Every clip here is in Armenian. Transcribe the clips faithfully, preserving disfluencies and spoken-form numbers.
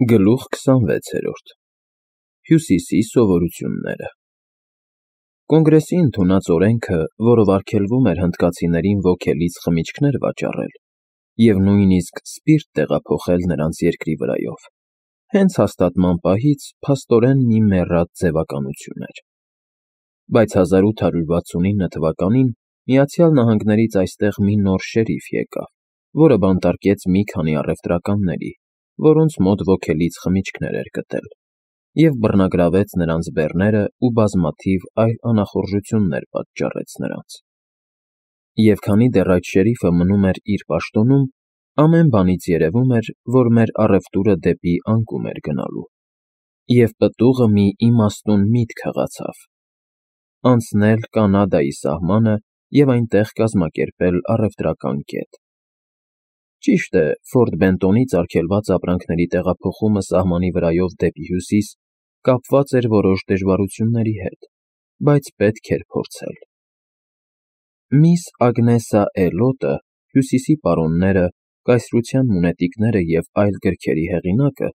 Գլուխ քսանվեցերորդ Հյուսիսի սովորությունները Կոնգրեսի ընդունած օրենքը, որով արգելվում էր հնդկացիներին ոգելից խմիչքներ վաճառել և նույնիսկ սպիրտ տեղափոխել նրանց երկրի վրայով, հենց հաստատման պահից փաստորեն մի մեռած ձևականություն էր, բայց հազար ութ հարյուր վաթսունինը թվականին Միացյալ Նահանգներից այստեղ մի նոր շերիֆ եկավ, որը բանտարկեց մի քանի առևտրականների, որոնց մոտ ոգելից խմիչքներ էր գտել, և բռնագրավեց նրանց բեռները ու բազմաթիվ այլ անախորժություններ պատճառեց նրանց։ Եվ քանի դեռ այդ շերիֆը մնում էր իր պաշտոնում, ամեն բանից երևում էր, որ մեր առևտուրը դեպի անկում էր գնալու, և պտուղը մի իմաստուն միտք հղացավ. անցնել Կանադայի սահմանը և այնտեղ կազմակերպել առևտրական կետ։ Ճիշտ է, Ֆորտ Բենտոնից արգելված ապրանքների տեղափոխումը սահմանի վրայով դեպի հյուսիս կապված էր որոշ դժվարությունների հետ, բայց պետք էր փորձել։ Միս Ագնեսա Էլոտը, Հյուսիսի պարոնները, կայսրության մունետիկները և այլ գրքերի հեղինակը,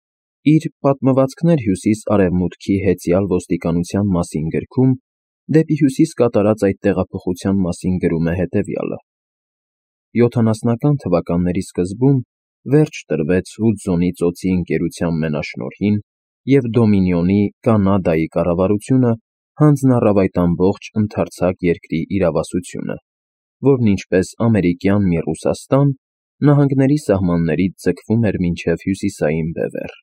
իր «Պատմվածքներ Հյուսիս֊Արևմուտքի հեծյալ ոստիկանության մասին» գրքում դեպի հյուսիս կատարած այդ տեղափոխության մասին գրում է հետևյալը. «Յոթանասնական թվականների սկզբում վերջ տրվեց Հուդզոնի ծոցի ընկերության մենաշնորհին, և Դոմինիոնի (Կանադայի) կառավարությունը հանձնառավ այդ ամբողջ ընդարձակ երկրի իրավասությունը, որն ինչպես ամերիկյան մի Ռուսաստան, նահանգների սահմաններից ձգվում էր մինչև Հյուսիսային Բևեռ։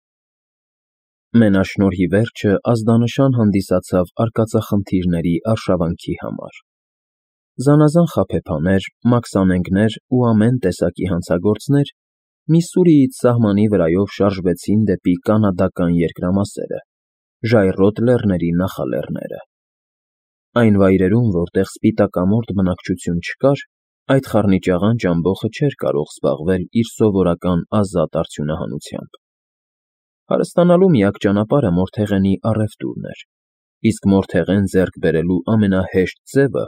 Մենաշնորհի վերջը ազդանշան հանդիսացավ արկածախնդիրների արշավանքի համար։ Զանազան խաբեբաներ, մաքսանենգներ ու ամեն տեսակի հանցագործներ Միսսուրիից սահմանի վրայով շարժվեցին դեպի կանադական երկրամասերը, ժայռոտ լեռների նախալեռները։ Այն վայրերում, որտեղ սպիտակամորթ բնակչություն չկար, այդ խառնիճաղանճ ամբոխը չէր կարող զբաղվել իր սովորական ազատ արդյունահանությամբ։ Հարստանալու միակ ճանապարհը մորթեղենի առևտուրն էր, իսկ մորթեղեն ձեռք բերելու ամենահեշտ ձևը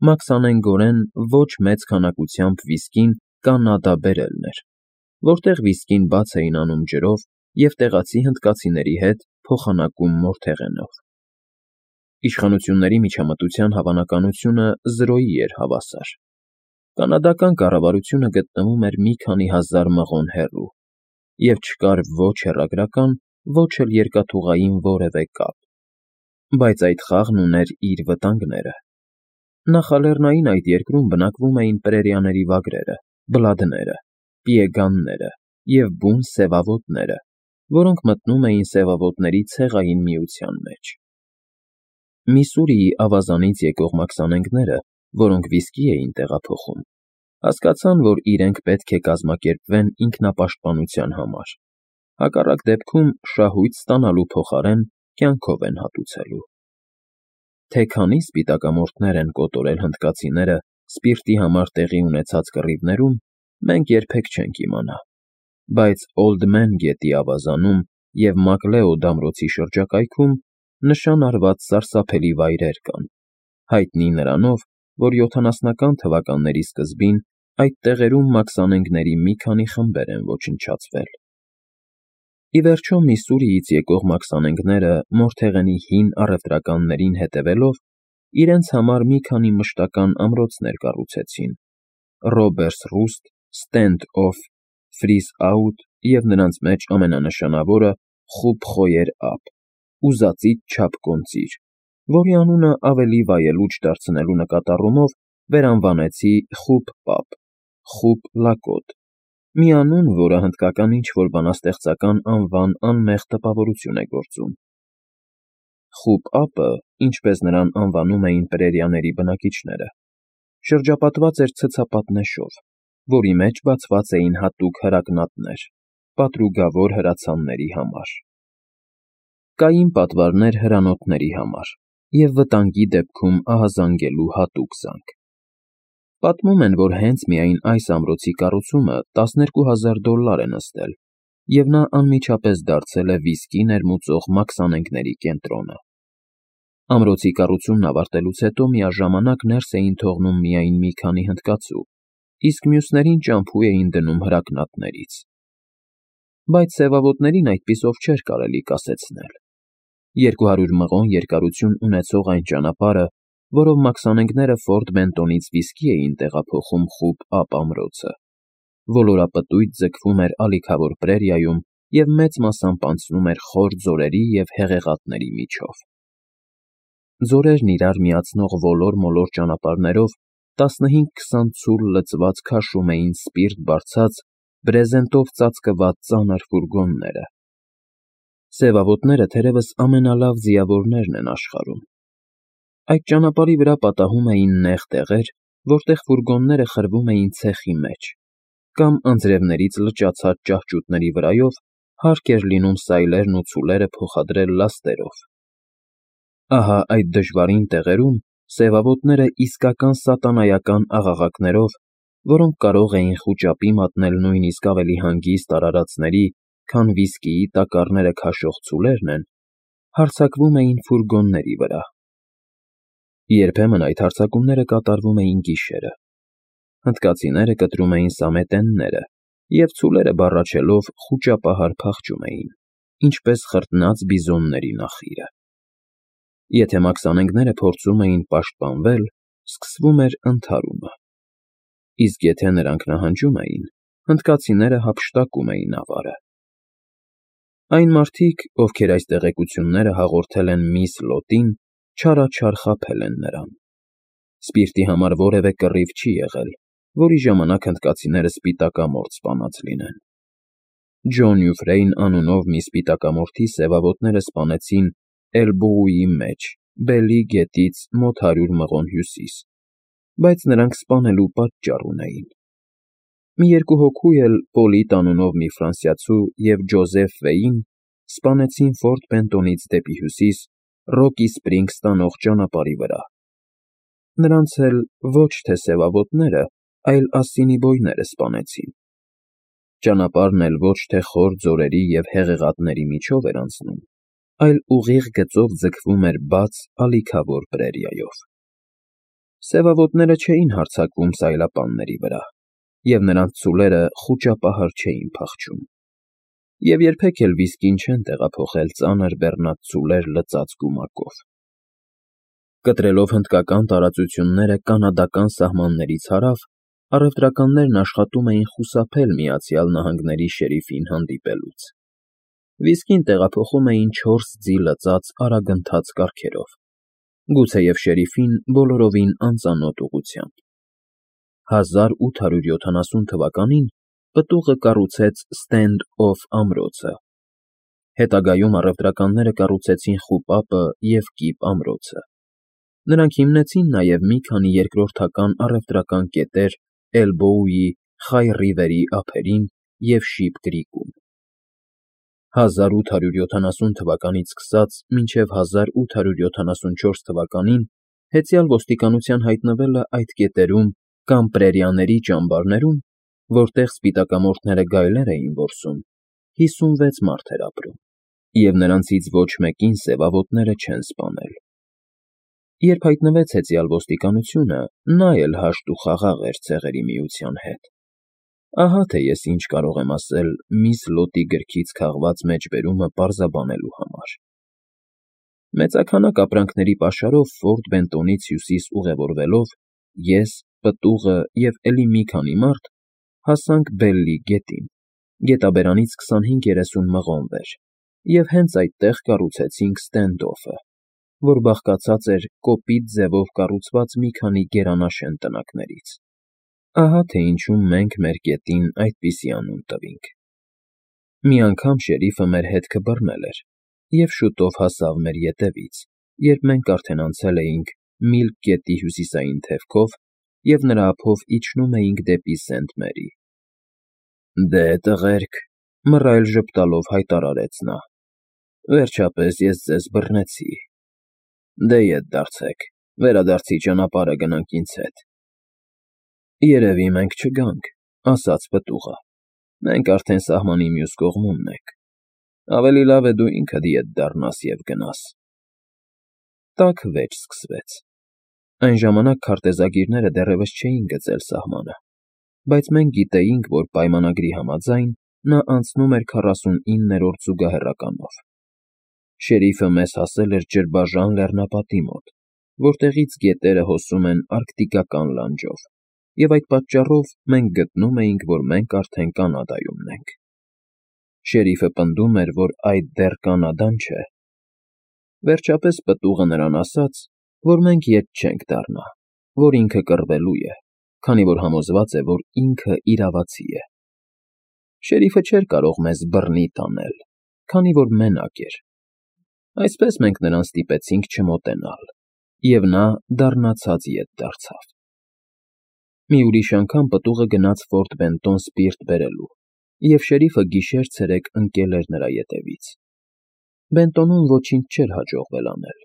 մաքսանենգորեն ոչ մեծ քանակությամբ վիսկին Կանադա բերելն էր, որտեղ վիսկին բաց էին անում ջրով և տեղացի հնդկացիների հետ փոխանակում մորթեղենով։ Իշխանությունների միջամտության հավանականությունը զրոյի էր հավասար։ Կանադական կառավարությունը գտնվում էր մի քանի հազար մղոն հեռու, և չկար ոչ հեռագրական, ոչ էլ երկաթուղային որևէ կապ, բայց այդ խաղն ուներ իր վտանգները։ Նախալեռնային այդ երկրում բնակվում էին պրերիաների վագրերը, բլադները, պիեգանները և բուն սևավոտները, որոնք մտնում էին սևավոտների ցեղային միության մեջ։ Միսսուրիի ավազանից եկող մաքսանենգները, որոնք վիսկի էին տեղափոխում, հասկացան, որ իրենք պետք է կազմակերպվեն ինքնապաշտպանության համար, հակառակ դեպքում շահույթ ստանալու փոխարեն կյանքով են հատուցելու։ Թե քանի սպիտակամորթներ են կոտորել հնդկացիները սպիրտի համար տեղի ունեցած կռիվներում, մենք երբեք չենք իմանա, բայց Օլդ Մեն գետի ավազանում և Մակլեոդ ամրոցի շրջակայքում նշան արված սարսափելի վայրեր կան, հայտնի նրանով, որ յոթանասնական թվականների սկզբին այդ տեղերում մաքսանենգների մի քանի խմբեր են ոչնչացվել։ Ի վերջո, Միսսուրիից եկող մաքսանենգները մորթեղենի հին առևտրականներին հետևելով, իրենց համար մի քանի մշտական ամրոցներ կառուցեցին՝ Ռոբերս Ռուստ, Ստենդ Օֆ, Ֆրիզ Աուտ և նրանց մեջ ամենանշանավորը Խուբ Խոյեր Ափ, ուզածից չափ կոնծիր, որի անունը ավելի վայելուչ դարձնելու նկատառումով վերանվանեցի Խուբ Պապ (Խուբ Լակոտ), մի անուն, որը հնդկական ինչ֊որ բանաստեղծական անվան անմեղ տպավորություն է գործում։ Խուբ Ափը, ինչպես նրան անվանում էին պրերիաների բնակիչները, շրջապատված էր ցցապատնեշով, որի մեջ բացված էին հատուկ հրակնատներ՝ պատրուգավոր հրացանների համար։ Կային պատվարներ հրանոթների համար և վտանգի դեպքում ահազանգելու հատուկ զենք։ Պատմում են, որ հենց միայն այս ամրոցի կառուցումը տասներկու հազար դոլլար է նստել, և նա անմիջապես դարձել է վիսկի ներմուծող մաքսանենգների կենտրոնը։ Ամրոցի կառուցումն ավարտելուց հետո միաժամանակ ներս էին թողնում միայն մի քանի հնդկացու, իսկ մյուսներին ճամփու էին դնում հրակնատներից։ բայց սևավոտներին այդպիսով չէր կարելի կասեցնել։ Երկու հարյուր մղոն երկարություն ունեցող այն ճանապարհը, որով մաքսանենգները Ֆորտ Բենտոնից վիսկի էին տեղափոխում խուլ Ափ ամրոցը, ոլորապտույտ ձգվում էր ալիքավոր պրերիայում և մեծ մասամբ անցնում էր խոր ձորերի և հեղեղատների միջով։ Ձորերն իրար միացնող ոլոր֊մոլոր ճանապարհներով տասնհինգ֊քսան ցուլ լցված քաշում էին սպիրտ բարձած, բրեզենտով ծածկված ծանր ֆուրգոնները։ Սևավոտները թերևս ամենալավ ձիավորներն են աշխարհում։ Այդ ճանապարհի վրա պատահում էին նեղ տեղեր, որտեղ ֆուրգոնները խրվում էին ցեխի մեջ, կամ անձրևներից լճացած ճահճուտների վրայով հարկ էր լինում սայլերն ու ցուլերը փոխադրել լաստերով։ Ահա այդ դժվարին տեղերում սևավոտները իսկական սատանայական աղաղակներով, որոնք կարող էին խուճապի մատնել նույնիսկ ավելի հանգիստ արարածների, քան վիսկիի տակառները քաշող ցուլերն են, հարձակվում էին ֆուրգոնների վրա։ Երբեմն այդ հարձակումները կատարվում էին գիշերը։ Հնդկացիները կտրում էին սամետենները, և ցուլերը բառաչելով խուճապահար փախչում էին, ինչպես խրտնած բիզոնների նախիրը։ Եթե մաքսանենգները փորձում էին պաշտպանվել, սկսվում էր ընդհարումը։ Իսկ եթե նրանք նահանջում էին, հնդկացիները հափշտակում էին ավարը։ Այն մարդիկ, ովքեր այս տեղեկությունները հաղորդել են միս Լոտին, չարաչար խաբել են նրան։ Սպիրտի համար որևէ կռիվ չի եղել, որի ժամանակ հնդկացիները սպիտակամորթ սպանած լինեն։ Ջոն Յուֆրեյն անունով մի սպիտակամորթի սևավոտները սպանեցին Էլբոուի մեջ, Բելի գետից մոտ հարյուր մղոն հյուսիս, բայց նրանք սպանելու պատճառ ունեին։ Մի երկու հոգու էլ Պոլիտ անունով մի ֆրանսիացու և Ջոզեֆ Վեին սպանեցին Ֆորտ Բենտոնից դեպի հյուսիս Ռոկի Սպրինգս տանող ճանապարհի վրա։ Նրանց էլ ոչ թե սևավոտները, այլ ասինիբոյները սպանեցին։ Ճանապարհն էլ ոչ թե խոր ձորերի և հեղեղատների միջով էր անցնում, այլ ուղիղ գծով ձգվում էր բաց, ալիքավոր պրերիայով։ Սևավոտները չէին հարձակվում սայլապանների վրա, և նրանց ցուլերը խուճապահար չէին փախչում, և երբեք էլ վիսկին չեն տեղափոխել ծանր բեռնած ցուլեր լցած գումակով։ Կտրելով հնդկական տարածությունները կանադական սահմաններից հարավ, առևտրականներն աշխատում էին խուսափել Միացյալ Նահանգների շերիֆին հանդիպելուց։ Վիսկին տեղափոխում էին չորս ձի լցած արագընթաց կառքերով, գուցեև շերիֆին բոլորովին անծանոթ ուղղությամբ։ հազար ութ հարյուր յոթանասուն թվականին պտուղը կառուցեց Սթենդ Օֆ ամրոցը։ Հետագայում առևտրականները կառուցեցին Խուպապը և Կիպ ամրոցը։ Նրանք հիմնեցին նաև մի քանի երկրորդական առևտրական կետեր Էլբոուի, Խայ Ռիվերի ափերին և Շիփ Կրիքում։ հազար ութ հարյուր յոթանասուն թվականից սկսած մինչև հազար ութ հարյուր յոթանասունչորս թվականին հեծյալ ոստիկանության հայտնվելը այդ կետերում կամ պրերիաների ճամբարներում, որտեղ սպիտակամորթները գայլեր էին որսում, հիսունվեց մարդ էր ապրում, և նրանցից ոչ մեկին սևավոտները չեն սպանել։ Երբ հայտնվեց հեծյալ ոստիկանությունը, նա էլ հաշտ ու խաղաղ էր Ցեղերի Միության հետ։ Ահա թե ես ինչ կարող եմ ասել միս Լոտի գրքից քաղված մեջբերումը պարզաբանելու համար։ Մեծաքանակ ապրանքների պաշարով Ֆորտ Բենտոնից հյուսիս ուղևորվելով, ես, պտուղը և էլի մի քանի մարդ հասանք Բելլի գետին, գետաբերանից քսանհինգ֊երեսուն մղոն վեր, և հենց այդտեղ կառուցեցինք Սթենդ Օֆը, որ բաղկացած էր կոպիտ ձևով կառուցված մի քանի գերանաշեն տնակներից։ Ահա թե ինչու մենք մեր գետին այդպիսի անուն տվինք։ Մի անգամ շերիֆը մեր հետքը բռնել էր և շուտով հասավ մեր ետևից, երբ մենք արդեն անցել էինք Միլք գետի հյուսիսային թևքով և նրա ափով իջնում էինք դեպի Սենթ Մերի։ «Դե, տղերք,֊ մռայլ ժպտալով հայտարարեց նա,֊ վերջապես ես ձեզ բռնեցի։ Դե ետ դարձեք, վերադարձի ճանապարհը գնանք ինձ հետ»։ «Երևի մենք չգանք,֊ ասաց պտուղը,֊ մենք արդեն սահմանի մյուս կողմումն ենք։ Ավելի լավ է դու ինքդ ետ դառնաս և գնաս»։ Տաք վեճ սկսվեց։ Այն ժամանակ քարտեզագիրները դեռևս չէին գծել սահմանը, բայց մենք գիտեինք, որ պայմանագրի համաձայն նա անցնում էր քառասունիններորդ զուգահեռականով։ Շերիֆը մեզ հասել էր ջրբաժան լեռնապատի մոտ, որտեղից գետերը հոսում են արկտիկական լանջով, և այդ պատճառով մենք գտնում էինք, որ մենք արդեն Կանադայումն ենք։ Շերիֆը պնդում էր, որ այդ դեռ Կանադան չէ։ Վերջապես պտուղը նրան ասաց, որ մենք ետ չենք դառնա, որ ինքը կռվելու է, քանի որ համոզված է, որ ինքը իրավացի է։ Շերիֆը չէր կարող մեզ բռնի տանել, քանի որ մենակ էր։ Այսպես մենք նրան ստիպեցինք չմոտենալ, և նա դառնացած ետ դարձավ։ Մի ուրիշ անգամ պտուղը գնաց Ֆորտ Բենտոն սպիրտ բերելու, և շերիֆը գիշեր֊ցերեկ ընկել էր նրա ետևից։ Բենտոնում ոչինչ չէր հաջողվել անել։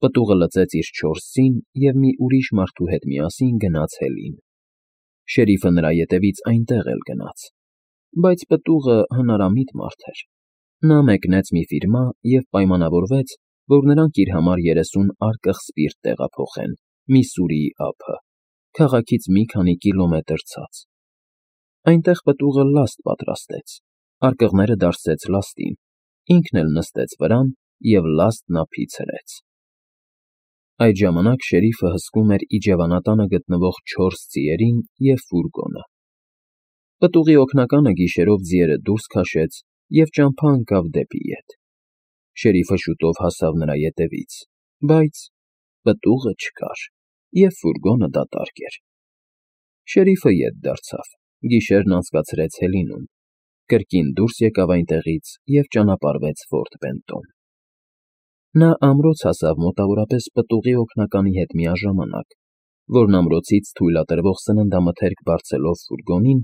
Պտուղը լծեց իր չորս ձին և մի ուրիշ մարդու հետ միասին գնաց հելին։ Շերիֆը նրա ետևից այնտեղ էլ գնաց։ Բայց պտուղը հնարամիտ մարդ էր։ Նա մեկնեց մի ֆիրմա և պայմանավորվեց, որ նրանք իր համար երեսուն արկղ սպիրտ տեղափոխեն Միսսուրիի ափը, քաղաքից մի քանի կիլոմետր ցած։ Այնտեղ պտուղը լաստ պատրաստեց, արկղները դարսեց լաստին, ինքն էլ նստեց վրան և լաստն ափից հրեց։ Այդ ժամանակ շերիֆը հսկում էր իջևանատանը գտնվող չորս ձիերին և ֆուրգոնը։ Պտուղի օգնականը գիշերով ձիերը դուրս քաշեց և ճամփա ընկավ դեպի ետ։ Շերիֆը շուտով հասավ նրա ետևից, բայց պտուղը չկար, և ֆուրգոնը դատարկ էր։ Շերիֆը ետ դարձավ, գիշերն անցկացրեց հելինում, կրկին դուրս եկավ այնտեղից և ճանապարհվեց Ֆորտ Բենտոն։ Նա ամրոց հասավ մոտավորապես պտուղի օգնականի հետ միաժամանակ, որն ամրոցից թույլատրվող սննդամթերք բարձելով ֆուրգոնին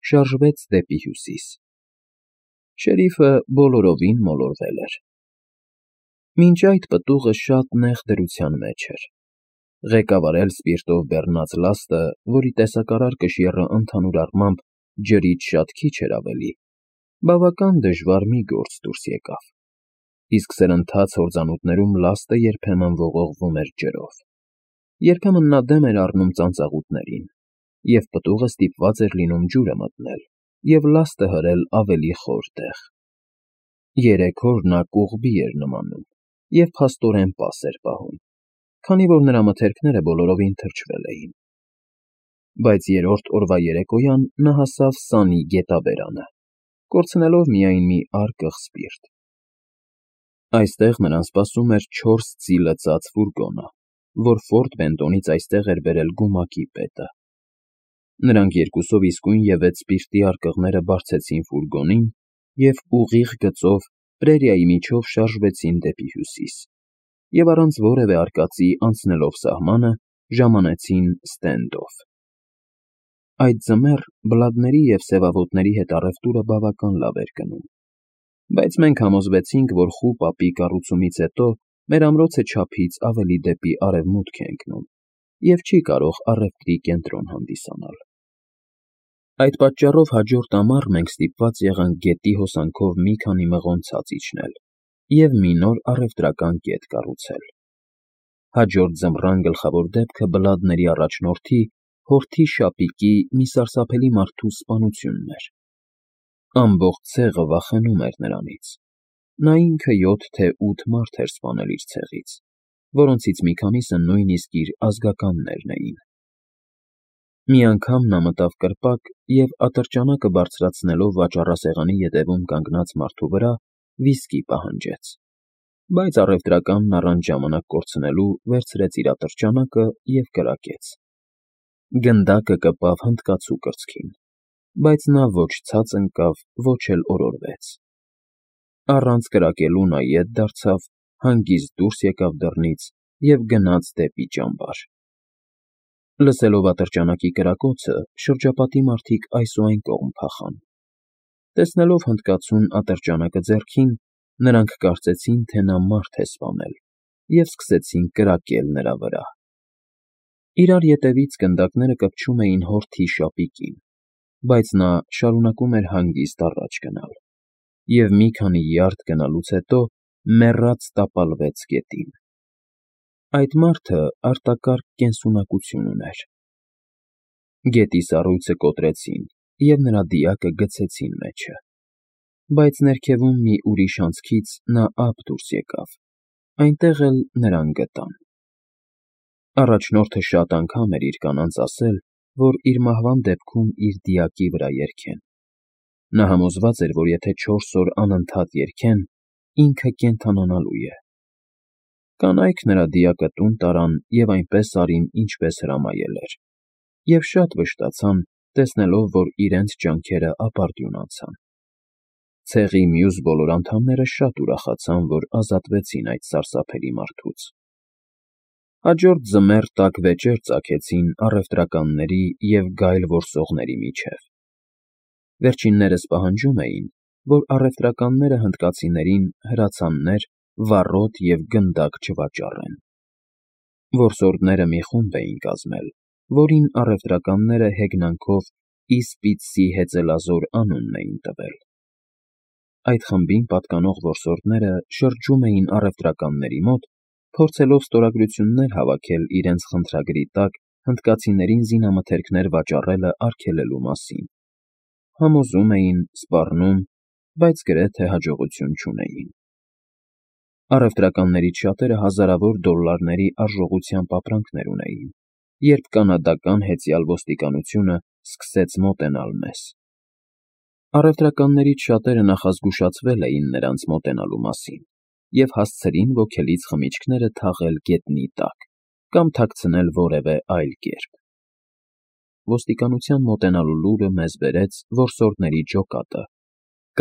շարժվեց դեպի հյուսիս։ Շերիֆը բոլորովին մոլորվել էր։ Մինչ այդ պտուղը շատ նեղ դրության մեջ էր։ Ղեկավարել սպիրտով բեռնած լաստը, որի տեսակարար կշիռը ընդհանուր առմամբ ջրից շատ քիչ էր ավելի, բավական դժվար մի գործ դուրս եկավ, իսկ սրընթաց հորձանուտներում լաստը երբեմն ողողվում էր ջրով։ Երբեմն նա դեմ էր առնում ծանծաղուտներին, և պտուղը ստիպված էր լինում ջուրը մտնել և լաստը հրել ավելի խոր տեղ։ Երեք օր նա կողբի էր նմանում և փաստորեն պաս էր պահում, քանի որ նրա մթերքները բոլորովին թրջվել էին։ Բայց երրորդ օրվա երեկոյան նա հասավ Սանի գետաբերանը, կորցնելով միայն մի արկղ սպիրտ։ Այստեղ նրան սպասում էր չորս ձի լցած ֆուրգոնը, որ Ֆորտ Բենտոնից այստեղ էր բերել գումակի պետը։ Նրանք երկուսով իսկույնևեթ սպիրտի արկղները բարձեցին ֆուրգոնին և ուղիղ գծով պրերիայի միջով շարժվեցին դեպի հյուսիս, և առանց որևէ արկածի անցնելով սահմանը ժամանեցին Ստենդոֆ։ Այդ ձմեռ բլադների և սևավոտների հետ առևտուրը բավական լավ էր գնում, բայց մենք համոզվեցինք, որ խուպ ապի կառուցումից հետո մեր ամրոցը չափից ավելի դեպի արևմուտք է ընկնում և չի կարող առևտրի կենտրոն հանդիսանալ։ Այդ պատճառով հաջորդ ամառ մենք ստիպված եղանք գետի հոսանքով մի քանի մղոն ցած իջնել և մի նոր առևտրական կետ կառուցել։ Հաջորդ ձմռան գլխավոր դեպքը բլադների առաջնորդի՝ հորթի Շապիկի մի սարսափելի մարդու սպանությունն էր։ Ամբողջ ցեղը վախենում էր նրանից։ Նա ինքը յոթ թե ութ մարդ էր սպանել իր ցեղից, որոնցից մի քանիսը նույնիսկ իր ազգականներն էին։ Մի անգամ նա մտավ կրպակ և ատրճանակը բարձրացնելով վաճառասեղանի ետևում կանգնած մարդու վրա վիսկի պահանջեց, բայց առևտրականն առանց ժամանակ կորցնելու վերցրեց իր ատրճանակը և կրակեց։ Գնդակը կպավ հնդկացու կրծքին, բայց նա ոչ ցած ընկավ, ոչ էլ օրորվեց։ Առանց կրակելու նա ետ դարձավ, հանգիստ դուրս եկավ դռնից և գնաց դեպի ճամբար։ Լսելով ատրճանակի կրակոցը, շրջապատի մարդիկ այս ու այն կողմ փախան։ Տեսնելով հնդկացուն ատրճանակը ձեռքին, նրանք կարծեցին, թե նա մարդ է սպանել և սկսեցին կրակել նրա վրա։ Իրար ետևից գնդակները կպչում էին հորթի Շապիկին, բայց նա շարունակում էր հանգիստ առաջ գնալ, և մի քանի յարդ գնալուց հետո մեռած տապալվեց գետին։ Այդ մարդը արտակարգ կենսունակություն ուներ։ Գետի սառույցը կոտրեցին և նրա դիակը գցեցին մեջը։ բայց ներքևում մի ուրիշ անցքից նա ափ դուրս եկավ, այնտեղ էլ նրան գտան։ Առաջնորդը շատ անգամ էր իր կանանց ասել, որ իր մահվան դեպքում իր դիակի վրա երգեն։ Նա համոզված էր, որ եթե չորս օր անընդհատ երգեն, ինքը կենդանանալու է։ Կանայք նրա դիակը տուն տարան և այնպես արին, ինչպես հրամայել էր, և շատ վշտացան, տեսնելով, որ իրենց ջանքերը ապարդյուն անցան։ Ցեղի մյուս բոլոր անդամները շատ ուրախացան, որ ազատվեցին այդ սարսափելի մարդուց։ Հաջորդ ձմեռ տաք վեճեր ծագեցին առևտրականների և գայլ որսողների միջև։ Վերջիններս պահանջում էին, որ առևտրականները հնդկացիներին հրացաններ, վառոդ և գնդակ չվաճառեն։ Որսորդները մի խումբ էին կազմել, որին առևտրականները հեգնանքով Իսպիծսի հեծելազոր անունն էին տվել։ Այդ խմբին պատկանող որսորդները շրջում էին առևտրականների մոտ, փորձելով ստորագրություններ հավաքել իրենց խնդրագրի տակ հնդկացիներին զինամթերքներ վաճառելը արգելելու մասին։ Համոզում էին, սպառնում, բայց գրեթե հաջողություն չունեին։ Առևտրականներից շատերը հազարավոր դոլլարների արժողությամբ ապրանքներ ունեին, երբ կանադական հեծյալ ոստիկանությունը սկսեց մոտենալ մեզ։ Առևտրականներից շատերը նախազգուշացվել էին նրանց մոտենալու մասին և հասցրին ոգելից խմիչքները թաղել գետնի տակ կամ թաքցնել որևէ այլ կերպ։ Ոստիկանության մոտենալու լուրը մեզ բերեց որսորդների ջոկատը։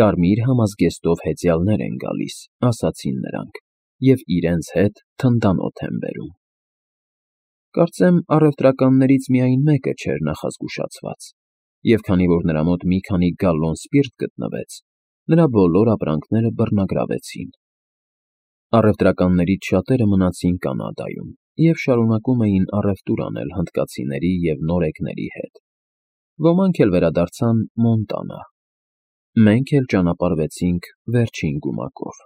Կարմիր համազգեստով հեծյալներ են գալիս, ասացին նրանք, և իրենց հետ թնդանոթ են բերում։ Կարծեմ առևտրականներից միայն մեկը չէր նախազգուշացված, և քանի որ նրա մոտ մի քանի գալլոն սպիրտ գտնվեց, նրա բոլոր ապրանքները բռնագրավեցին։ Առևտրականներից շատերը մնացին Կանադայում և շարունակում էին առևտուր անել հնդկացիների և նորեկների հետ։ Ոմանք էլ վերադարձան Մոնտանա։ Մենք էլ ճանապարհվեցինք վերջին գումակով։